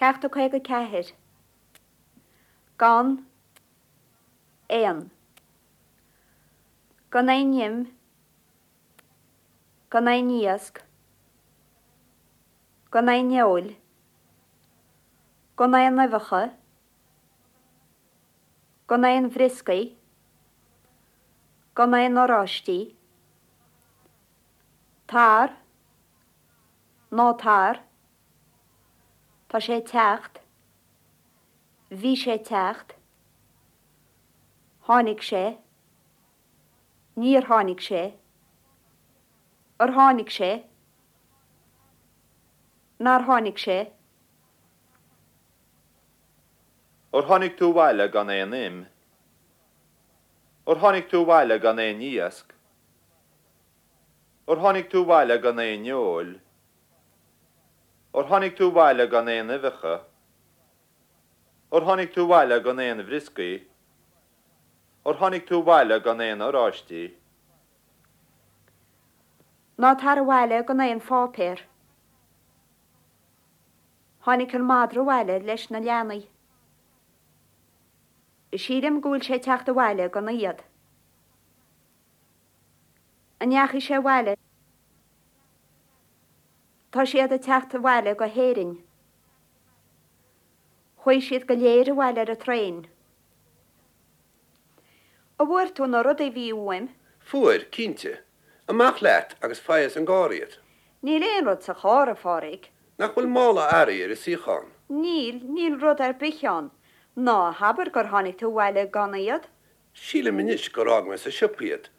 Ceacht 54. Gan aon. Gan aon im. Gan aon iasc. Gan aon fheoil. Gan aon uibheacha. Gan aon bhrioscaí. Gan aon oráistí. Tar. Ná tar. Tá sé ag teacht. Bhí sé ag teacht. Tháinig sé. Níor tháinig sé. Ar tháinig sé? Nár tháinig sé? Ar tháinig tú abhaile gan aon im? Ar tháinig tú abhaile gan aon iasc? Ar tháinig tú abhaile gan aon fheoil? Ar tháinig tú abhaile gan aon uibheacha? Ar tháinig tú abhaile gan aon bhrioscaí? Ar tháinig tú abhaile gan aon oráistí? Ná tar abhaile gan aon pháipéar. Tháinig an madra abhaile leis na leanaí. Sílim go bhfuil sé ag teacht abhaile gan iad. An ndeachaigh sé abhaile? Tá siad ag teacht abhaile go hÉirinn. Chuaigh siad go léir abhaile ar an traein. An bhfuair tú na rudaí a bhí uaim? Fuair, cinnte. Amach leat agus faigh as an gcarr iad. Níl aon rud sa charr, a Phádraig. Nach bhfuil mála earraí ar an suíochán? Níl, níl rud ar bith ann. Ná habair gur tháinig tú abhaile gan iad? Sílim anois gur fhág mé sa siopa iad.